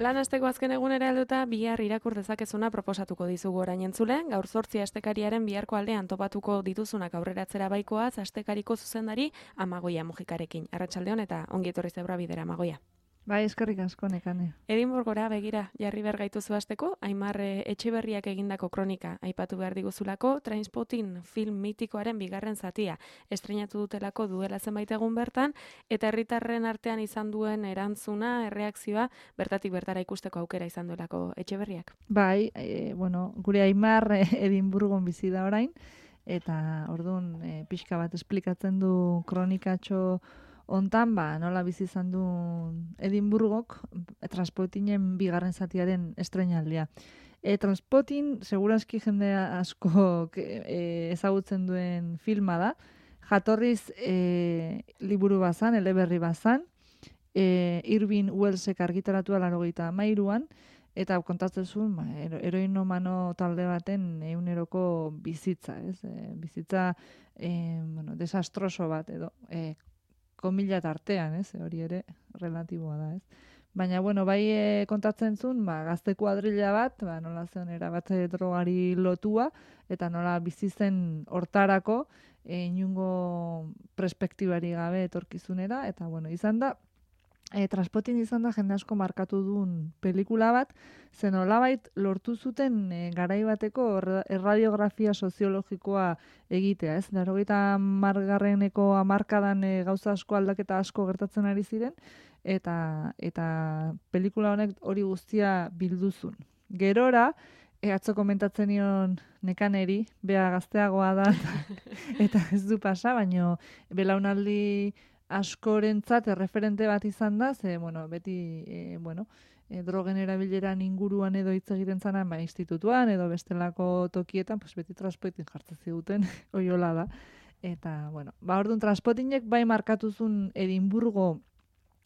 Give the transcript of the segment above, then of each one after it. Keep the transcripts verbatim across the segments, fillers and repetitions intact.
Lan asteko azken egunera helduta bihar irakur dezakezuna proposatuko dizugu orain entzule. Gaur zortzi astekariaren biharko aldean topatuko dituzunak aurreratzera baikoaz astekariko zuzendari Amagoia Mujikarekin. Arratsaldeon eta ongi etorri zebra bidera Amagoia. Bai, eskerrik asko Nekane. Edinburgora begira jarri behar gaituzu hasteko, Aimar Etxeberriak egindako kronika aipatu behar diguzulako, Trainspotting film mitikoaren bigarren zatia estreinatu dutelako duela zenbait egun bertan, eta herritarren artean izan duen erantzuna, erreakzioa, bertatik bertara ikusteko aukera izan duelako Etxeberriak. Bai, e, bueno, gure Aimar e, Edinburgon bizi da orain, eta orduan e, pixka bat esplikatzen du kronikatxo hontan, ba, nola bizi izan du Edinburgok Transpotingen bigarren zatiaren estreinaldia. E, Transpotting, segurazki jende asko e, ezagutzen duen filma da. Jatorriz e, liburu bazan, eleberri bazan, e, Irving Wellsek argitaratua laurogeita hamairuan, eta kontatzen zuen, ba, heroinomano talde baten eguneroko bizitza, ez? E, bizitza e, bueno, desastroso bat edo, e, komila tartean, ez? Hori ere relatiboa da, ez? Baina, bueno, bai e, kontatzen zuen, ba, gazte kuadrilla bat, ba, nola zen erabat drogari lotua, eta nola bizi zen hortarako, e, inungo perspektibari gabe etorkizunera, eta, bueno, izan da, E, Transpotting izan da jende asko markatu duen pelikula bat, zen olabait lortu zuten e, garai bateko erradiografia soziologikoa egitea, ez? Laurogeita hamargarreneko hamarkadan e, gauza asko aldaketa asko gertatzen ari ziren, eta eta pelikula honek hori guztia bilduzun. Gerora, e, atzo komentatzen nion Nekaneri, bea gazteagoa da, eta ez du pasa, baino belaunaldi askorentzat erreferente bat izan da, ze, bueno, beti, e, bueno, e, drogen erabileran inguruan edo hitz egiten zanan, ba, institutuan edo bestelako tokietan, pues, beti Transpotting jartzen ziguten, oiola da. Eta, bueno, ba, orduan Transpottingek bai markatuzun Edinburgo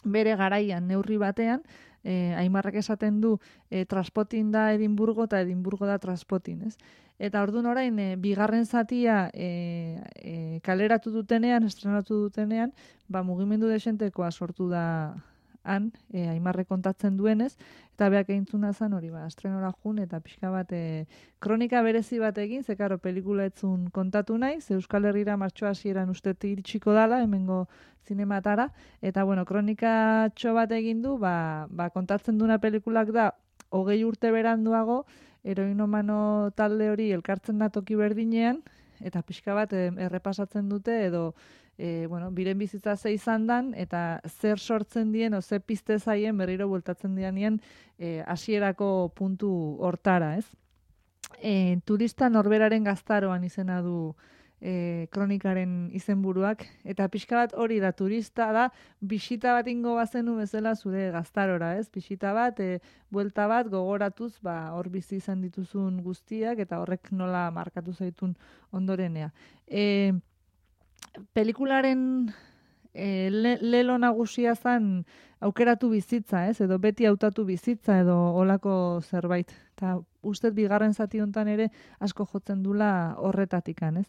bere garaian neurri batean, e, Aimarrak esaten du e, Transpotting da Edinburgo eta Edinburgo da Transpotting, ez? Eta orduan orain, e, bigarren zatia e, e, kaleratu dutenean, estrenatu dutenean, ba, mugimendu desentekoa sortu da han, e, Aimarre kontatzen duenez, eta beak egintzuna zen hori, ba, estrenora jun, eta pixka bat e, kronika berezi bat egin, ze karo, pelikula etzun kontatu nahi, ze Euskal Herrira martxoa hasieran uste iritsiko dala, hemengo zinematara, eta, bueno, kronika txo bat egin du, ba, ba, kontatzen duna pelikulak da, hogei urte beranduago, heroinomano talde hori elkartzen da toki berdinean, eta pixka bat e, errepasatzen dute, edo, e, bueno, biren bizitza ze izan dan, eta zer sortzen dien, o ze pizte zaien berriro bueltatzen dianean hasierako puntu hortara, ez? E, turista norberaren gaztaroan izena du e, kronikaren izenburuak, eta pixka bat hori da, turista da, bisita bat ingo bazenu bezala zure gaztarora, ez? Bisita bat, e, buelta bat, gogoratuz, ba, hor bizi izan dituzun guztiak, eta horrek nola markatu zaitun ondorenea. E, pelikularen e, le, lelo nagusia zen aukeratu bizitza, ez? Edo beti hautatu bizitza, edo olako zerbait. Eta ustez bigarren zati hontan ere asko jotzen dula horretatikan, ez?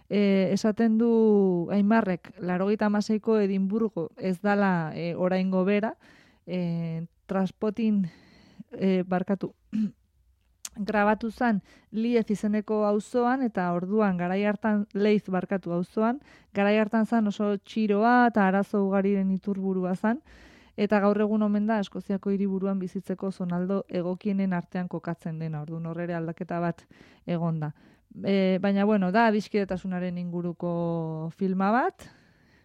E, esaten du Aimarrek, laurogeita hamaseiko Edinburgo ez dala e, oraingo bera, e, Transpotting e, barkatu grabatu zen Liez izeneko auzoan, eta orduan garai hartan Leiz barkatu auzoan, garai hartan zen oso txiroa eta arazo ugariren iturburua zen, eta gaur egun omen da Eskoziako hiriburuan bizitzeko zonaldo egokienen artean kokatzen dena, orduan horrere aldaketa bat egonda. E, baina, bueno, da adiskidetasunaren inguruko filma bat,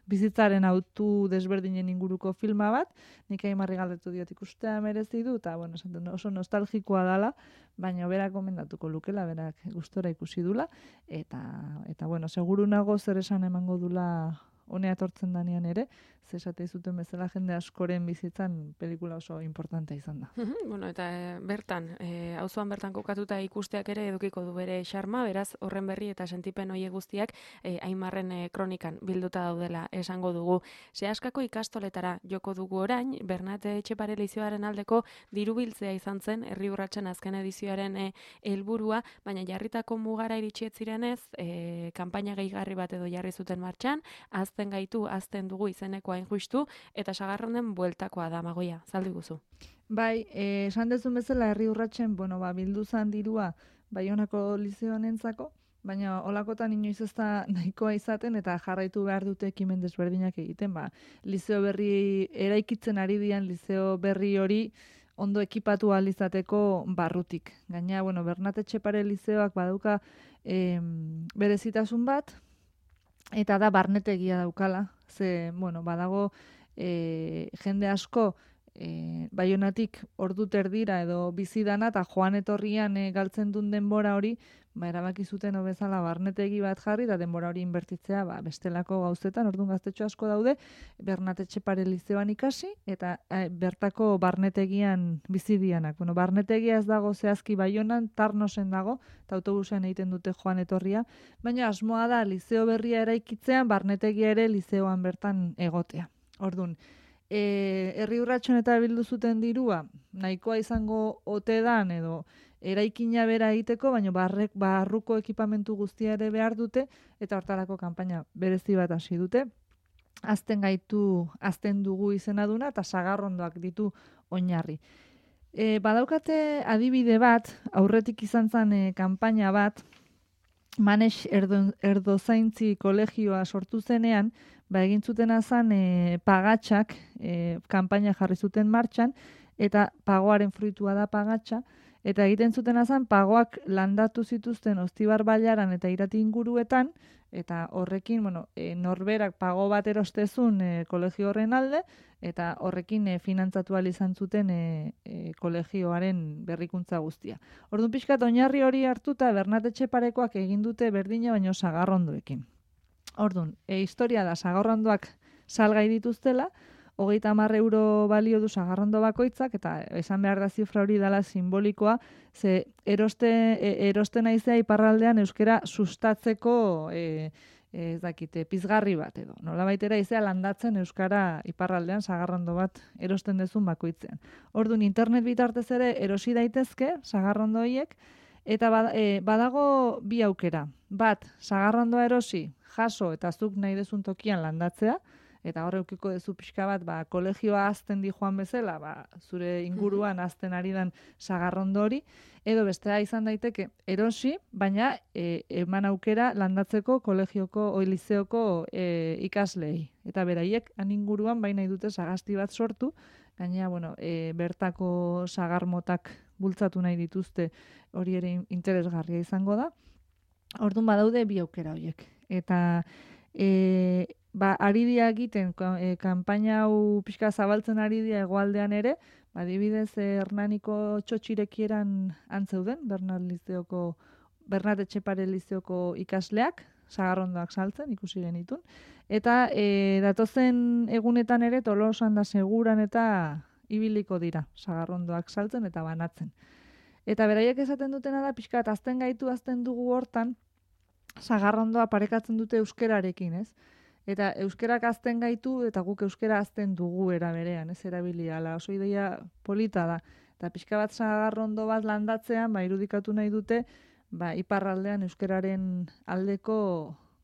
bizitzaren autu desberdinen inguruko filma bat, nik Aimarri galdetu diot ikustea merezi du, eta, bueno, oso nostalgikoa dala, baina berak gomendatuko lukela, berak gustora ikusi dula, eta, eta bueno, seguru nago zer esan emango dula honea etortzen danean ere, ze esate zuten bezala jende askoren bizitzan pelikula oso importantea izan da. Bueno, eta e, bertan, e, auzoan bertan kokatuta ikusteak ere edukiko du bere xarma, beraz horren berri eta sentipen hoe guztiak e, Aimarren e, kronikan bilduta daudela esango dugu. Seaskako ikastoletara joko dugu orain, Bernat Etxepare Lizioaren aldeko dirubiltzea izan zen herri urratsen azken edizioaren e, helburua, baina jarritako mugara iritsi ez zirenez, e, kanpaina gehigarri bat edo jarri zuten martxan, azten gaitu, azten dugu izeneko bueltako hain justu, eta Sagarronden bueltakoa da, Magoia, zaldu guzu. Bai, eh, esan dezun bezala herri urratsen, bueno, ba, bildu zan dirua Baionako lizeoanentzako, baina olakotan inoiz ez da nahikoa izaten eta jarraitu behar dute ekimen desberdinak egiten. Ba, lizeo berri eraikitzen ari dian lizeo berri hori ondo ekipatu ahal izateko barrutik. Gaina, bueno, Bernat Etxepare lizeoak badauka eh, berezitasun bat, eta da barnetegia daukala. Ze, bueno, badago eh, jende asko E, Baionatik ordu terdira edo bizidana eta joan etorrian e, galtzen duen denbora hori, ba, erabaki zuten hobezala barnetegi bat jarri eta denbora hori inbertitzea ba, bestelako gauzetan, orduan gaztetxo asko daude, Bernat Etxepare lizeoan ikasi eta e, bertako barnetegian bizidianak. Bueno, barnetegia ez dago zehazki Baionan, Tarnosen dago, eta autobusean egiten dute joan etorria, baina asmoa da lizeo berria eraikitzean, barnetegia ere lizeoan bertan egotea. Orduan, E, herri urratxon eta bildu zuten dirua, nahikoa izango ote dan edo eraikina bera egiteko, baina barrek, barruko ekipamentu guztia ere behar dute, eta hortarako kanpaina berezi bat hasi dute. Azten gaitu, azten dugu izena duna, eta sagarrondoak ditu oinarri. E, badaukate adibide bat, aurretik izan zen e, kanpaina bat, Manes erdo, erdozaintzi kolegioa sortu zenean, ba, egin zutena zen e, pagatxak e, kanpaina jarri zuten martxan, eta pagoaren fruitua da pagatxa, eta egiten zutena zen pagoak landatu zituzten Ostibar Bailaran eta Irati inguruetan, eta horrekin, bueno, e, norberak pago bat erostezun e, kolegio horren alde, eta horrekin e, finantzatu ahal izan zuten e, e, kolegioaren berrikuntza guztia. Orduan pixkat oinarri hori hartuta Bernat Etxeparekoak egin dute berdina baino sagarrondoekin. Orduan, e, historia da sagarrondoak salgai dituztela, hogeita hamar euro balio du sagarrondo bakoitzak, eta esan behar da zifra hori dela simbolikoa, ze eroste, e, eroste naizea iparraldean euskera sustatzeko e, e, ez dakite, pizgarri bat edo. Nola baitera izea landatzen euskara iparraldean sagarrondo bat erosten dezun bakoitzean. Orduan, internet bitartez ere erosi daitezke sagarrondo horiek, eta badago bi aukera. Bat, sagarrondoa erosi, jaso eta zuk nahi dezun tokian landatzea, eta hor eukiko dezu pixka bat, ba, kolegioa azten di joan bezala, ba, zure inguruan azten ari dan sagarrondo hori, edo bestea izan daiteke erosi, baina e, eman aukera landatzeko kolegioko, oi lizeoko e, ikaslei. Eta beraiek, han inguruan, baina dute sagasti bat sortu, gainera, bueno, e, bertako sagarmotak bultzatu nahi dituzte, hori ere interesgarria izango da. Orduan badaude bi aukera horiek. Eta e, ba, ari dia egiten, e, kanpaina hau pixka zabaltzen ari dia egoaldean ere, ba, adibidez Hernaniko txotxirekieran antzeuden, Bernat lizeoko, Bernat Etxepare lizeoko ikasleak, sagarrondoak saltzen, ikusi genitun. Eta e, datozen egunetan ere Tolosan da Seguran eta ibiliko dira, sagarrondoak saltzen eta banatzen. Eta beraiek esaten dutena da, pixkat, azten gaitu, azten dugu hortan, sagarrondoa parekatzen dute euskerarekin, ez? Eta euskerak azten gaitu, eta guk euskera azten dugu era berean, ez erabilia, ala, oso ideia polita da. Eta pixka bat sagarrondo bat landatzean, ba, irudikatu nahi dute, ba, iparraldean euskeraren aldeko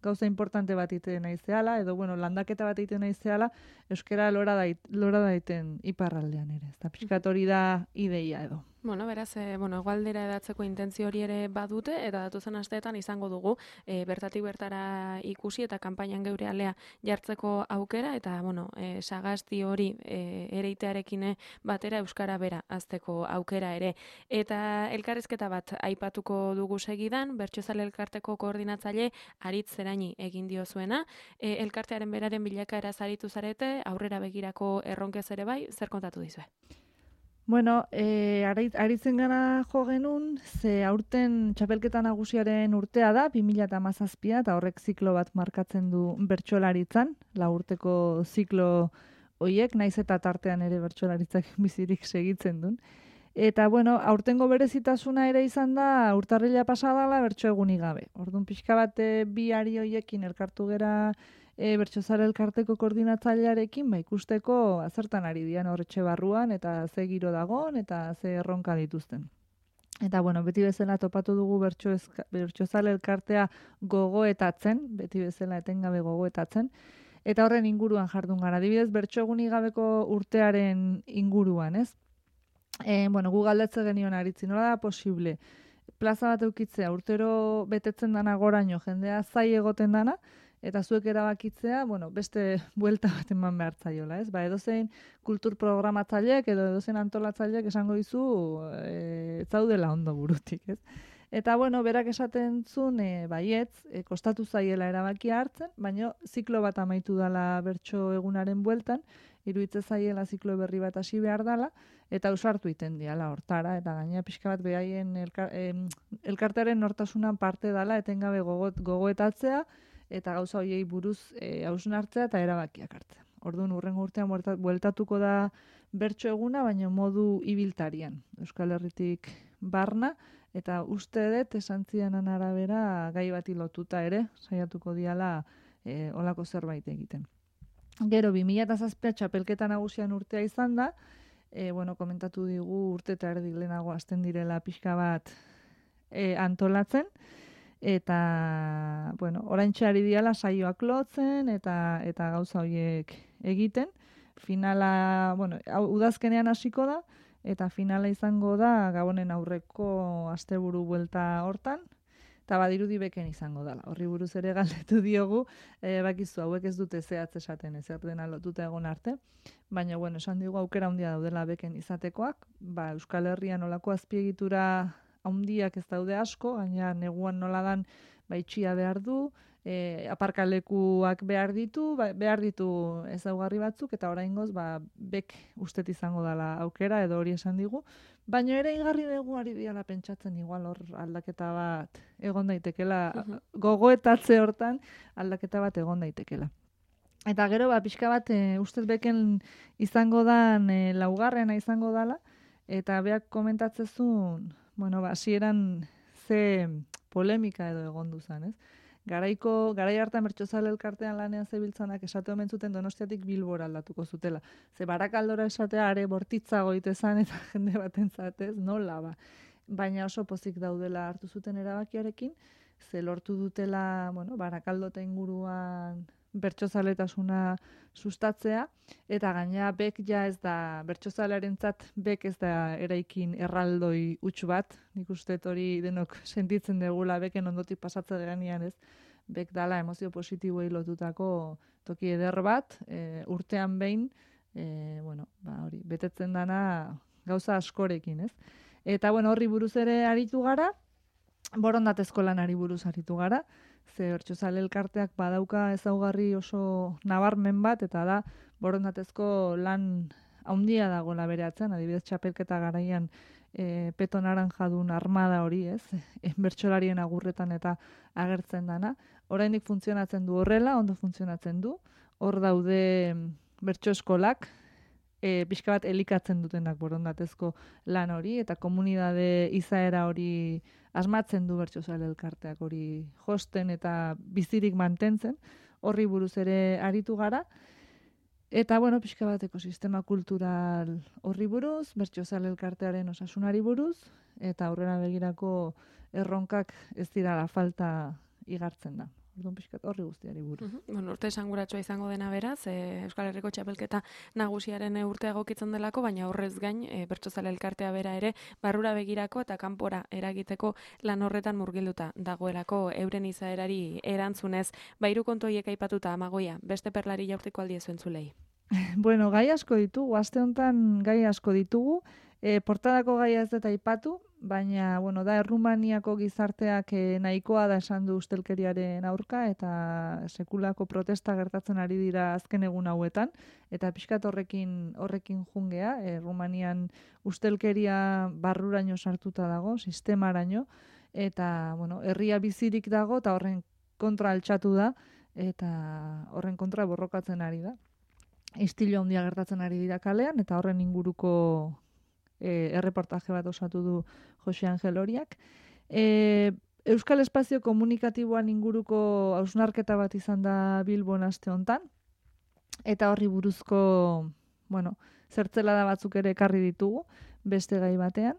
gauza importante bat iten nahi zehala, edo, bueno, landaketa bat iten nahi zehala, euskera lora, dait, lora daiten iparraldean ere. Eta pixkat hori da ideia edo. Bueno, beraz, e, bueno, egualdera edatzeko intentzio hori ere badute, eta datuzen asteetan izango dugu, e, bertatik bertara ikusi eta kanpainan geure alea jartzeko aukera, eta, bueno, e, sagasti hori e, ereitearekin batera euskara bera azteko aukera ere. Eta elkarrizketa bat aipatuko dugu segidan, Bertsozale elkarteko koordinatzaile Aritz Zeraini egin diozuena, e, elkartearen beraren bilakaera zaritu zarete, aurrera begirako erronkez ere bai, zer kontatu dizue? Bueno, e, aritzen gara jo genuen, ze aurten txapelketa nagusiaren urtea da, bi mila hamazazpia, eta horrek ziklo bat markatzen du bertsolaritzan, la urteko ziklo hoiek, naiz eta tartean ere bertsolaritzak bizirik segitzen duen. Eta, bueno, aurtengo berezitasuna ere izan da, urtarrila pasadala bertso egunik gabe. Orduan pixka bat bi ari hoiekin elkartu gera E, Bertsozale elkarteko koordinatzailearekin, ba, ikusteko azertan ari dian horretxe barruan, eta ze giro dagon, eta ze erronka dituzten. Eta, bueno, beti bezala topatu dugu Bertsozale elkartea gogoetatzen, beti bezala etengabe gogoetatzen, eta horren inguruan jardun gara. Adibidez, bertso egunik gabeko urtearen inguruan, ez? E, bueno, gu galdetze genion aritzi, nola da posible? Plaza bat eukitzea, urtero betetzen dana goraino, jendea zai egoten dana, eta zuek erabakitzea, bueno, beste buelta bat eman behar zaiola, ez? Ba, edozein kultur programatzaileek edo edozein antolatzaileek esango dizu e, zaudela ondo burutik, ez? Eta, bueno, berak esaten zuen, e, baietz, e, kostatu zaiela erabakia hartzen, baina ziklo bat amaitu dala bertso egunaren bueltan, iruditze zaiela ziklo berri bat hasi behar dala, eta ausartu iten diala hortara, eta gaina pixka bat behaien elkar, em, elkartearen nortasunan parte dala, etengabe gogot, gogoetatzea, eta gauza hoiei buruz e, hausnartzea eta erabakiak hartzea. Orduan, hurrengo urtean bueltatuko da bertso eguna, baina modu ibiltarian. Euskal Herritik barna, eta uste dut esan zidanan arabera gai bati lotuta ere, saiatuko diala e, olako zerbait egiten. Gero, bi mila zazpi txapelketa nagusian urtea izan da, e, bueno, komentatu digu urte eta erdi lehenago hasten direla pixka bat e, antolatzen, eta, bueno, oraintxe ari diala saioak lotzen, eta eta gauza horiek egiten. Finala, bueno, udazkenean hasiko da, eta finala izango da Gabonen aurreko asteburu buelta hortan, eta badirudi beken izango dela. Horri buruz ere galdetu diogu, e, bakizu hauek ez dute zehatz esaten, ez dena lotuta egon arte, baina, bueno, esan digu aukera handia daudela beken izatekoak, ba, Euskal Herrian olako azpiegitura handiak ez daude asko, baina neguan nola dan ba, itxia behar du, e, aparkalekuak behar ditu, ba, behar ditu ezaugarri batzuk, eta oraingoz ba, bek ustet izango dela aukera, edo hori esan digu. Baina ere igarri dugu ari diala pentsatzen igual hor aldaketa bat egon daitekela, uh-huh. gogoetatze hortan aldaketa bat egon daitekela. Eta gero, ba, pixka bat, e, ustez beken izango dan, e, laugarrena izango dala, eta beak komentatzezun, bueno, ba, hasieran ze polemika edo egon duzan, ez? Garaiko, garai hartan bertsozale elkartean lanean zebiltzanak esate omen zuten Donostiatik Bilbora aldatuko zutela. Ze Barakaldora esatea are bortitzago itezan eta jende batentzat, ez? Nola ba. Baina oso pozik daudela hartu zuten erabakiarekin, ze lortu dutela, bueno, Barakaldo eta inguruan bertsozaletasuna sustatzea, eta gaina bek ja ez da, bertsozalearentzat bek ez da eraikin erraldoi huts bat, nik uste hori denok sentitzen degula beken ondotik pasatze geanian, ez, bek dala emozio positiboei lotutako toki eder bat, e, urtean behin, e, bueno, ba, hori, betetzen dana gauza askorekin, ez. Eta, bueno, horri buruz ere aritu gara, borondatezko lanari buruz aritu gara, ze bertsozale elkarteak badauka ezaugarri oso nabarmen bat, eta da borondatezko lan handia dagoela bere atzean, adibidez txapelketa garaian e, peto naranjadun armada hori, ez, e, bertsolarien agurretan eta agertzen dana. Oraindik funtzionatzen du horrela, ondo funtzionatzen du, hor daude bertso eskolak, e, pixka bat elikatzen dutenak borondatezko lan hori, eta komunidade izaera hori asmatzen du bertsozale elkarteak hori josten eta bizirik mantentzen, horri buruz ere aritu gara, eta, bueno, pixka bat ekosistema kultural horri buruz, bertsozale elkartearen osasunari buruz, eta aurrera begirako erronkak ez dira falta igartzen da. Orduan pixkat horri guztiari buruz. Uh-huh. Bueno, urte esanguratsua izango dena beraz, e, Euskal Herriko txapelketa nagusiaren urtea egokitzen delako, baina horrez gain, e, bertsozale elkartea bera ere, barrura begirako eta kanpora eragiteko lan horretan murgilduta dagoelako euren izaerari erantzunez, bairu kontoiek aipatuta Amagoia, beste perlari jaurtiko aldiezu entzulei. Bueno, gai asko ditugu, aste honetan gai asko ditugu, e, portadako gaia ez dut aipatu, baina, bueno, da, Errumaniako gizarteak e, nahikoa da esan du ustelkeriaren aurka, eta sekulako protesta gertatzen ari dira azken egun hauetan, eta pixkat horrekin, horrekin jungea, Errumanian ustelkeria barruraino sartuta dago, sistemaraino, eta, bueno, herria bizirik dago, eta horren kontra altxatu da, eta horren kontra borrokatzen ari da. Istilo handia gertatzen ari dira kalean, eta horren inguruko E, erreportaje bat osatu du Jose Angel Oriak. E, Euskal Espazio Komunikatiboan inguruko hausnarketa bat izan da Bilbon aste hontan, eta horri buruzko, bueno, zertzelada batzuk ere ekarri ditugu, beste gai batean,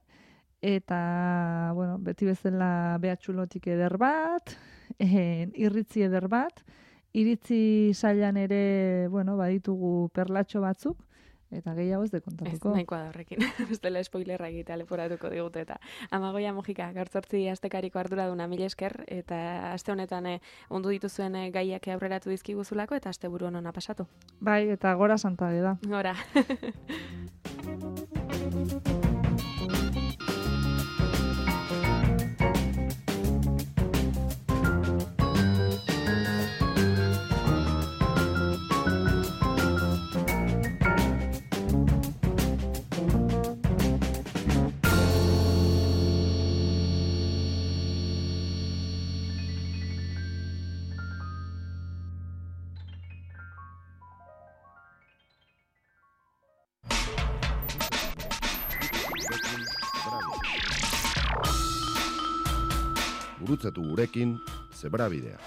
eta, bueno, beti bezala behatxulotik eder bat, e, irritzi eder bat, iritzi sailan ere, bueno, baditugu perlatxo batzuk, eta gehiago ez de kontatuko. Ez, nahikoa da horrekin. Bestela spoilerra egitea leporatuko digute eta. Amagoia Mojika, gaur zortzi astekariko arduraduna mila esker, eta aste honetan eh, ondu dituzuen eh, gaiak aurreratu dizkiguzulako, eta aste buru honona pasatu. Bai, eta gora Santabe da. Gora. Gurutzatu gurekin Zebrabidea.